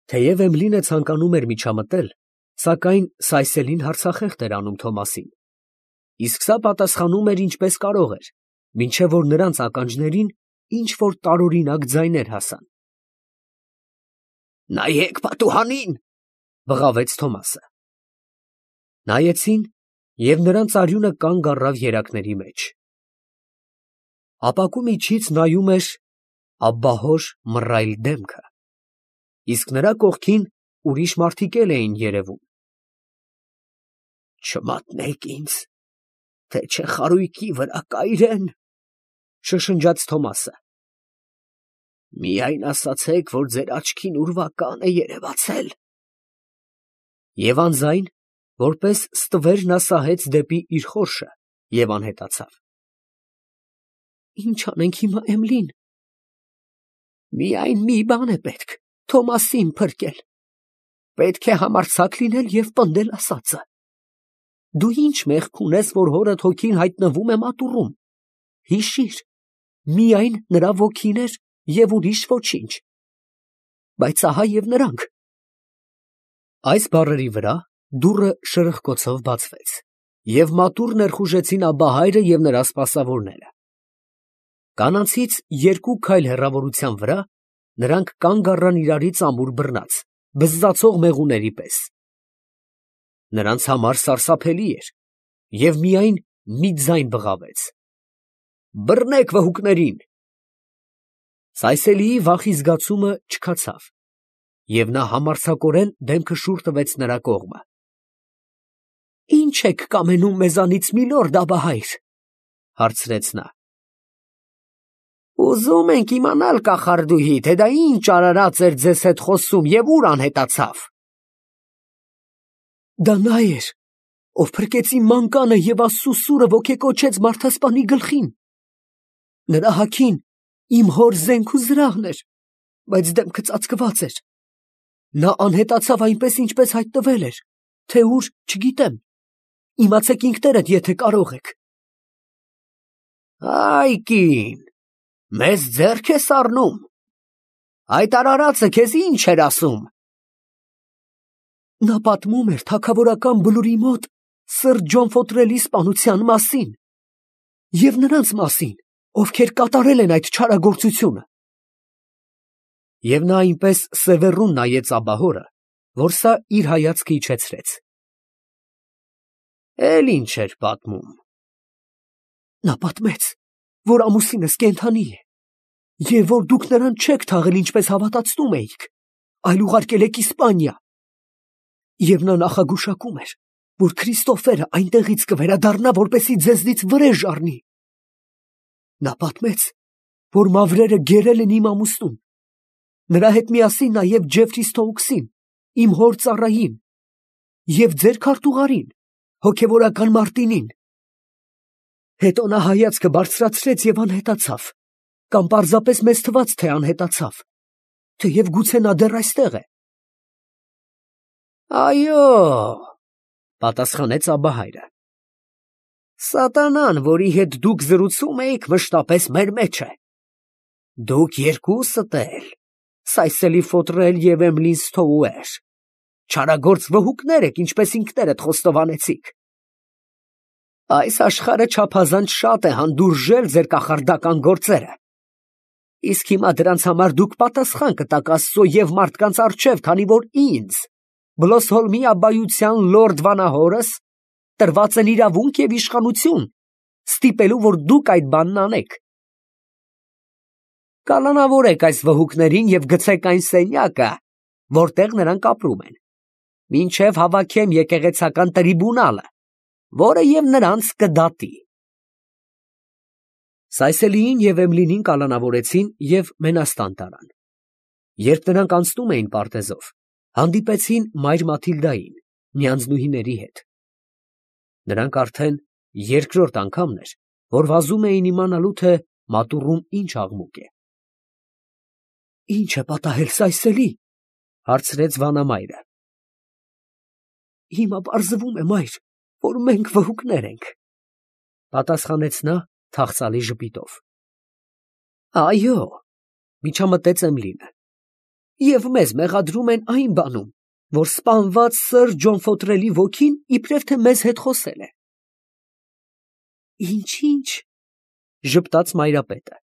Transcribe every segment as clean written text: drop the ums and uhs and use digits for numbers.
Թեև Էմլինը ցանկանում էր միջամտել, սակայն Սայսելին հարցախեղդ էր անում Թոմասին, իսկ սա պատասխանում էր ինչպես կարող էր, մինչև որ նրանց ականջներին ինչ-որ տարօրինակ ձայներ հասան։ «Նայեք պատուհանին», բղավեց Թոմասը։ Նայեցին, և նրանց արյունը կանգ առավ երակների մեջ։ Ապակու միջից նայում էր աբբահոր մռայլ դեմքը, իսկ նրա կողքին ուրիշ մարդիկ էլ էին երևում։ «Չմատնեք ինձ, թե չէ խարույկի վրա կայրեն», շշնջաց Թոմասը։ «Միայն ասացեք, որ ձեր աչքին ուրվական է երևացել»։ Եվ անձայն, որպես ստվեր, նա սահեց դեպի իր խորշը և անհետացավ։ «Ի՞նչ անենք հիմա, Էմլին»։ «Միայն մի բան է պետք, Թոմասին փրկել։ Պետք է համարձակ լինել և պնդել ասածը։ Դու ի՞նչ մեղք ունես, որ հորդ հոգին հայտնվում է մատուռում։ Հիշիր, միայն նրա ոգին էր և ուրիշ ոչինչ։ Բայց ահա և նրանք»։ Այս բառերի վրա դուռը շրխկոցով բացվեց, և մատուռ ներխուժեցին Աբբահայրը և նրա սպասավորները։ Կանանցից 2 քայլ հեռավորության վրա նրանք կանգ առան իրարից ամուր բռնած, բզզացող մեղուների պես։ Նրանց համար սարսափելի էր, և միայն մի ձայն բղավեց. «Բռնեք վհուկներին»։ Սայսելիի վախի զգացումը չքացավ, և նա համարձակորեն դեմքը շուռ տվեց նրա կողմը։ «Ի՞նչ եք կամենում մեզանից, միլորդ Աբբահայր», հարցրեց նա։ «Ուզում ենք իմանալ, կախարդուհի, թե դա ինչ արարած էր ձեզ հետ խոսում և ուր անհետացավ»։ «Դա նա էր, ով փրկեց իմ մանկանը և Աստծու սուրը ոգեկոչեց մարդասպանի գլխին։ Նրա հագին իմ հոր զենք ու զրահն էր, բայց դեմքը ծածկված էր։ Նա անհետացավ այնպես, ինչպես հայտնվել էր, թե ուր, չգիտեմ։ Իմացեք ինքներդ, եթե կարող եք»։ «Այ կին, մեզ ձեռք ես առնում։ Այդ արարածը քեզ ի՞նչ էր ասում»։ «Նա պատմում էր թագավորական բլուրի մոտ սր Ջոնֆոտրելի սպանության մասին և նրանց մասին, ովքեր կատարել են այդ չարագործությունը»։ Եվ նա այնպես սևեռուն նայեց աբբահորը, որ սա իր հայացքը իջեցրեց։ «Էլ ի՞նչ էր պատմում»։ «Նա պատմեց, որ ամուսինս կենդանի է, և որ դուք նրան չեք թաղել, ինչպես հավատացնում էիք, այլ ուղարկել եք Իսպանիա։ Եվ նա նախագուշակում էր, որ Քրիստոֆերը այնտեղից կվերադառնա, որպեսզի ձեզնից վրեժ առնի։ Նա պատմեց, որ մավրերը գերել են իմ ամուսնուն, նրա հետ միասին նաև Ջեֆրի Սթոուքսին, իմ հոր ծառային, և ձեր քարտուղարին, հոգևորական Մարտինին։ Հետո նա հայացքը բարձրացրեց և անհետացավ, կամ պարզապես մեզ թվաց, թե անհետացավ, թեև գուցե նա դեռ այստեղ է»։ «Այո», պատասխանեց Աբբահայրը, «սատանան, որի հետ դուք զրուցում էիք, մշտապես մեր մեջ է։ Դուք երկուսդ էլ, Սայսելի Ֆոտրել և Էմլին Սթոուեր, չարագործ վհուկներ եք, ինչպես ինքներդ խոստովանեցիք։ Այս աշխարհը չափազանց շատ է հանդուրժել ձեր կախարդական գործերը, իսկ հիմա դրանց համար դուք պատասխան կտաք Աստծո և մարդկանց առջև, քանի որ ինձ, Բլոսհոլմի աբբայության լորդ վանահորս, տրված են իրավունք և իշխանություն, ստիպելու, որ դուք այդ բանն անեք։ Կալանավորեք այս վհուկներին և գցեք այն սենյակը, որտեղ նրանք ապրում են, մինչև հավաքեմ եկեղեցական տրիբունալը, որը և նրանց կդատի»։ Սայսելիին և Էմլինին կալանավորեցին և մենաստան տարան։ Երբ նրանք անցնում էին պարտեզով, հանդիպեցին մայր Մաթիլդային, նյանձնուհիների հետ։ Նրանք արդեն երկրորդ անգամն էր, որ վազում էին իմանալու, թե մատուռում ինչ աղմուկ է։ «Ի՞նչ է պատահել, Սայսելի», հարցրեց վանամայրը։ «Հիմա պարզվում է, մայր, որ մենք վհուկներ ենք», պատասխանեց նա թախծալի ժպիտով։ «Այո», միջամտեց Էմլինը, Եվ մեզ մեղադրում են այն բանում, որ սպանված սըր Ջոնֆոտրելի ոգին իբրև թե մեզ հետ խոսել է։ Ինչ, ժպտաց մայրապետը։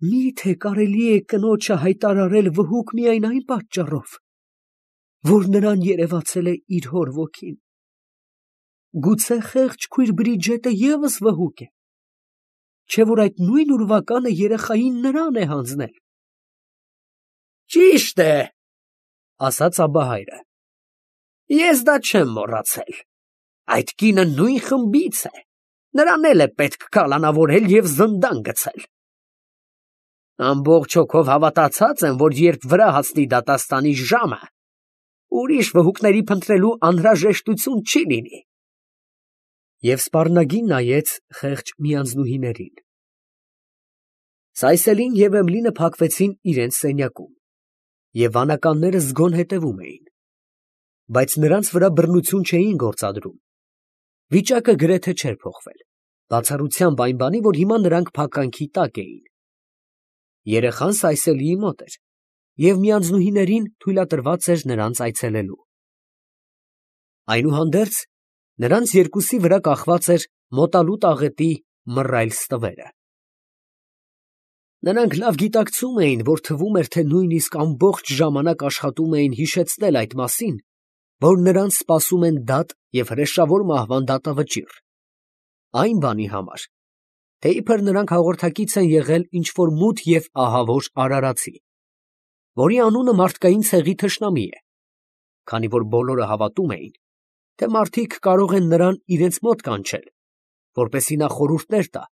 Մի՞թե կարելի է կնոջը հայտարարել վհուկ միայն այն պատճառով, որ նրան երևացել է իր հոր ոգին։ Գուցե խեղճ քույր Բրիջետը ևս վհուկ է, չէ՞ որ այդ նույն ուրվականը երեխային նրան է հանձնել։ Ճիշտ է, ասաց Աբահայրը։ Ես դա չեմ մոռացել։ Այդ կինը նույն խմբից է։ Նրան էլ է պետք կալանավորել և զնդան գցել։ Ամբողջ հոգով հավատացած եմ, որ երբ վրա հասնի դատաստանի ժամը, ուրիշ վհուկների փնտրելու անհրաժեշտություն չի լինի։ Եվ սպառնագին նայեց խեղճ միանձնուհիներին։ Սայսելին և Էմլինը փակվեցին իրենց սենյակում, և վանականները զգոն հետևում էին, բայց նրանց վրա բռնություն չէին գործադրում։ Վիճակը գրեթե չէր փոխվել, բացառությամբ այն բանի, որ հիմա նրանք փականքի տակ էին։ Երեխան Սայսելիի մոտ էր, և միանձնուհիներին թույլատրված էր նրանց այցելելու։ Այնուհանդերձ, նրանց երկուսի վրա կախված էր մոտալուտ աղետի մռայլ ստվերը։ Նրանք լավ գիտակցում էին, որ թվում էր, թե նույնիսկ ամբողջ ժամանակ աշխատում էին հիշեցնել այդ մասին, որ նրանց սպասում են դատ և հրեշավոր մահվան դատավճիռ, այն բանի համար, թե իբր նրանք հաղորդակից են եղել ինչ-որ մութ և ահավոր արարածի, որի անունը մարդկային ցեղի թշնամի է, քանի որ բոլորը հավատում էին, թե մարդիկ կարող են նրան իրենց մոտ կանչել, որպեսզի նա խորհուրդներ տա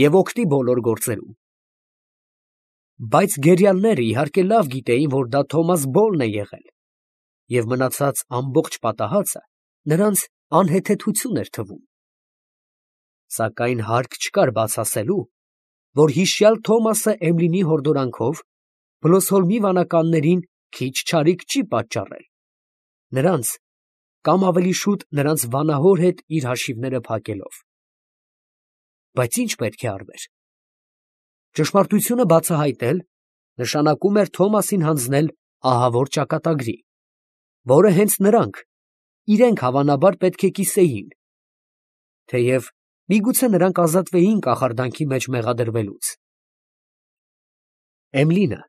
և օգնի բոլոր գործերում։ Բայց գերիալները իհարկե լավ գիտեին, որ դա Թոմաս Բոլն է եղել, և մնացած ամբողջ պատահածը նրանց անհեթեթություն էր թվում։ Սակայն հարկ չկար բաց ասելու, որ հիշյալ Թոմասը Էմլինի հորդորանքով Բլոսհոլմի վանականներին քիչ չարիք չի պատճառել, նրանց, կամ ավելի շուտ նրանց վանահոր հետ իր հաշիվները փակելով։ Բայց ի՞նչ պետք է արվեր։ Ճշմարտությունը բացահայտել նշանակում էր Թոմասին հանձնել ահավոր ճակատագրի, որը հենց նրանք, իրենք հավանաբար պետք է կիսեին, թեև միգուցե նրանք ազատվեին կախարդանքի մեջ մեղադրվելուց։ Էմլինը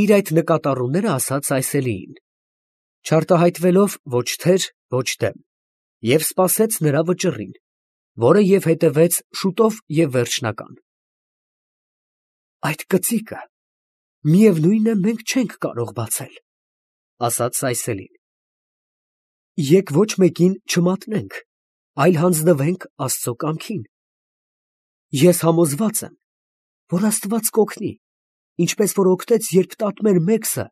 իր այդ նկատառումները ասաց Սայսելիին, չարտահայտվելով ոչ թեր, ոչ դեմ, և սպասեց նրա վճռին, որը և հետևեց շուտով և վերջնական։ Այդ կծիկը, միևնույն է, մենք չենք կարող բացել, ասաց Սայսելին։ Եկ ոչ մեկին չմատնենք, այլ հանձնվենք Աստծո կամքին։ Ես համոզված եմ, որ Աստված կօգնի, ինչպես որ օգնեց, երբ տատմեր Մեքսը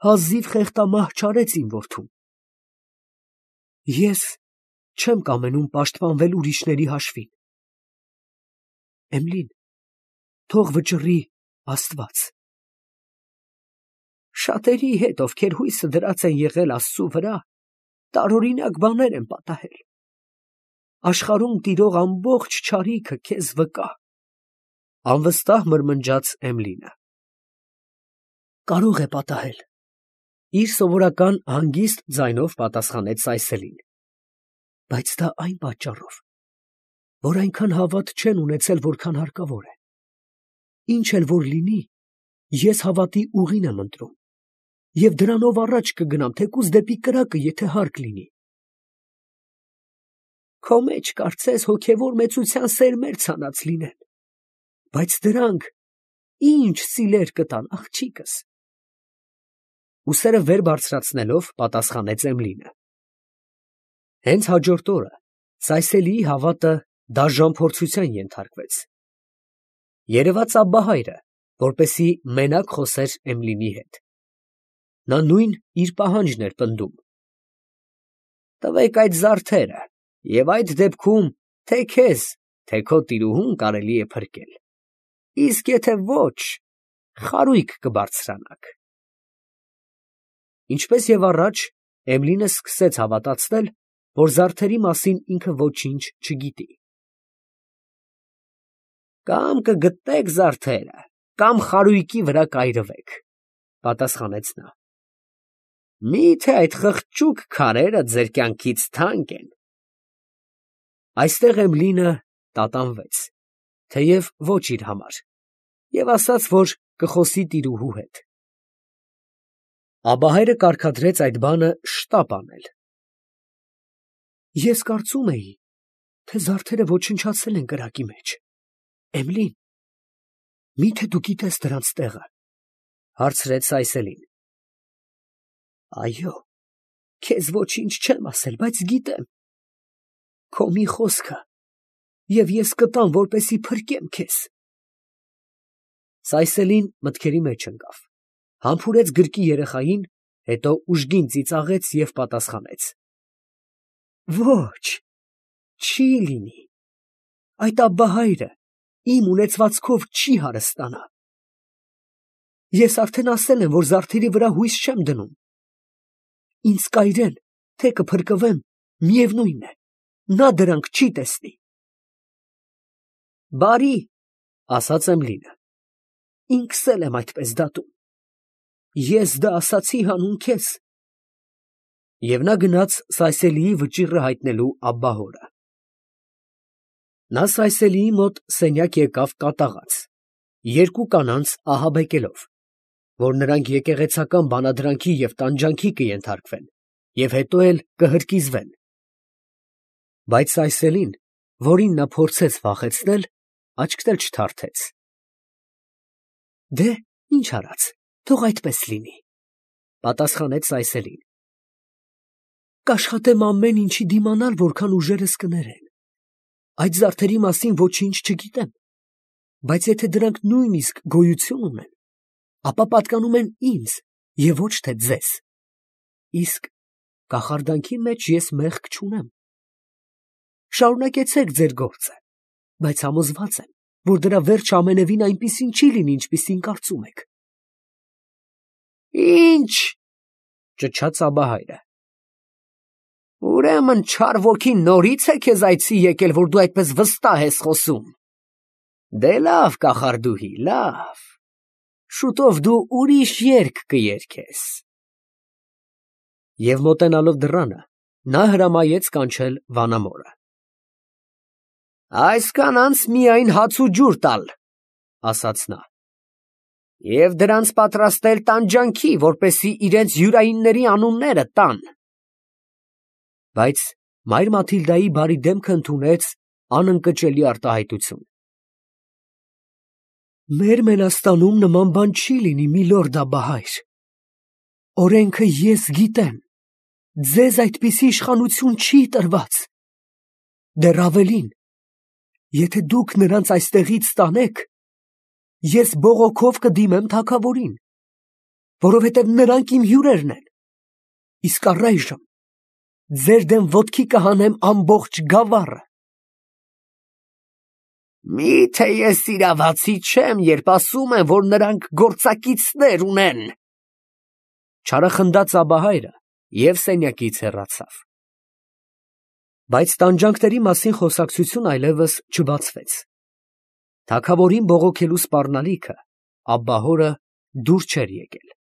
հազիվ խեղդամահ չարեց իմ որդուն։ Ես չեմ կամենում պաշտպանվել ուրիշների հաշվին։ Էմլին, թող վճռի Աստված։ Շատերի հետ, ովքեր հույսը դրած են եղել Աստծու վրա, տարօրինակ բաներ են պատահել։ Աշխարհում տիրող ամբողջ չարիքը քեզ վկա, անվստահ մրմնջաց Էմլինը։ Կարող է պատահել, իր սովորական հանգիստ ձայնով պատասխանեց Սայսելին, բայց դա այն պատճառով, որ այնքան հավատ չեն ունեցել, որքան հարկավոր է։ Ինչ էլ որ լինի, ես հավատի ուղին եմ ընտրում, և դրանով առաջ կգնամ, թեկուզ դեպի կրակը, եթե հարկ լինի։ Քո մեջ կարծես հոգևոր մեծության սերմեր ցանած լինեն, բայց դրանք ինչ սիլեր կտան, աղջիկս։ Ուսերը վեր բարձրացնելով պատասխանեց Էմլինը։ Հենց հաջորդ օրը Սայսելիի հավատը դաժան փորձության ենթարկվեց։ Երևաց Աբբահայրը, որպեսզի մենակ խոսեր Էմլինի հետ։ Նա նույն իր պահանջն էր պնդում։ Տվեք այդ զարդերը, և այդ դեպքում թե քեզ, թե քո տիրուհուն կարելի է փրկել, իսկ եթե ոչ, խարույկ կբարձրանաք։ Ինչպես և առաջ, Էմլինը սկսեց հավատացնել, որ զարդերի մասին ինքը ոչինչ չգիտի։ Կամ կգտնեք զարդերը, կամ խարույկի վրա կայրվեք, Պատասխանեց նա։ Մի՞թե այդ խղճուկ քարերը ձեր կյանքից թանկ են։ Այստեղ Էմլինը տատանվեց, թեև ոչ իր համար, և ասաց, որ կխոսի տիրուհու հետ։ Աբահայրը կարգադրեց այդ բանը շտապ անել։ Ես կարծում էի, թե զարդերը ոչնչացել են կրակի մեջ։ Էմլին, մի՞թե դու գիտես դրանց տեղը, հարցրեց Սայսելին։ Այո, քեզ ոչինչ չեմ ասել, բայց գիտեմ։ Քո մի խոսքը, և ես կտամ, որպեսզի փրկեմ քեզ։ Սայսելին մտքերի մեջ ընկավ, համբուրեց գրկի երեխային, հետո ուժգին ծիծաղեց և պատասխանեց. Ոչ, չի լինի, այդ աբբահայրը իմ ունեցվածքով չի հարստանա։ Ես արդեն ասել եմ, որ զարդերի վրա հույս չեմ դնում։ Ինձ կայրեն, թե կփրկվեմ, միևնույն է, նա դրանք չի տեսնի։ Բարի, ասաց Էմլինը, ինքս էլ եմ այդպես դատում։ Ես դա ասացի հանուն քեզ։ Եվ նա գնաց Սայսելիի վճիռը հայտնելու աբբահորը։ Նա Սայսելիի մոտ սենյակ եկավ կատաղած, երկու կանանց ահաբեկելով, որ նրանք եկեղեցական բանադրանքի և տանջանքի կենթարկվեն և հետո էլ կհրկիզվեն։ Բայց Սայսելին, որին նա փորձեց վախեցնել, աչքեր չթարթեց։ Դե, ինչ արած, թող այդպես լինի, պատասխանեց Սայսելին։ Կաշխատեմ ամեն ինչի դիմանալ, որքան ուժերս կներեն։ Այդ զարդերի մասին ոչինչ չգիտեմ, բայց եթե դրանք նույնիսկ գոյություն ունեն, ապա պատկանում են ինձ և ոչ թե ձեզ։ Իսկ կախարդանքի մեջ ես մեղք չունեմ։ Շարունակեցեք ձեր գործը, բայց համոզված եմ, որ դրա վերջը ամենևին այնպիսին չի լինի, ինչպիսին կարծում եք։ Ինչ, ճչաց աբահայրը։ Ուրեմն չար ոգին նորից է քեզ այցի եկել, որ դու այդպես վստահ ես խոսում։ Դե լավ, կախարդուհի, լավ, շուտով դու ուրիշ երգ կերգես։ Եվ մոտենալով դռանը, նա հրամայեց կանչել վանամորը։ Այս կանանց միայն հաց ու ջուր տալ, ասաց նա, և դրանց պատրաստել տանջանքի, որպեսզի իրենց յուրայինների անունները տան։ Բայց մայր Մաթիլդայի բարի դեմքը ընդունեց անընկճելի արտահայտություն։ Մեր Մենաստանում նման բան չի լինի, միլորդ աբահայր։ Օրենքը ես գիտեմ, ձեզ այդպիսի իշխանություն չի տրված։ Դեռ ավելին, եթե դուք նրանց այստեղից տանեք, ես բողոքով կդիմեմ թագավորին, որովհետև նրանք իմ հյուրերն են, իսկ առայժմ ձեր դեմ ոտքի կհանեմ ամբողջ գավառը։ Մի՞թե ես իրավացի չեմ, երբ ասում եմ, որ նրանք գործակիցներ ունեն, չարախնդաց աբահայրը և սենյակից հեռացավ։ Բայց տանջանքների մասին խոսակցություն այլևս չբացվեց։ Թագավորին բողոքելու սպառնալիքը աբբահորը դուր չէր եկել։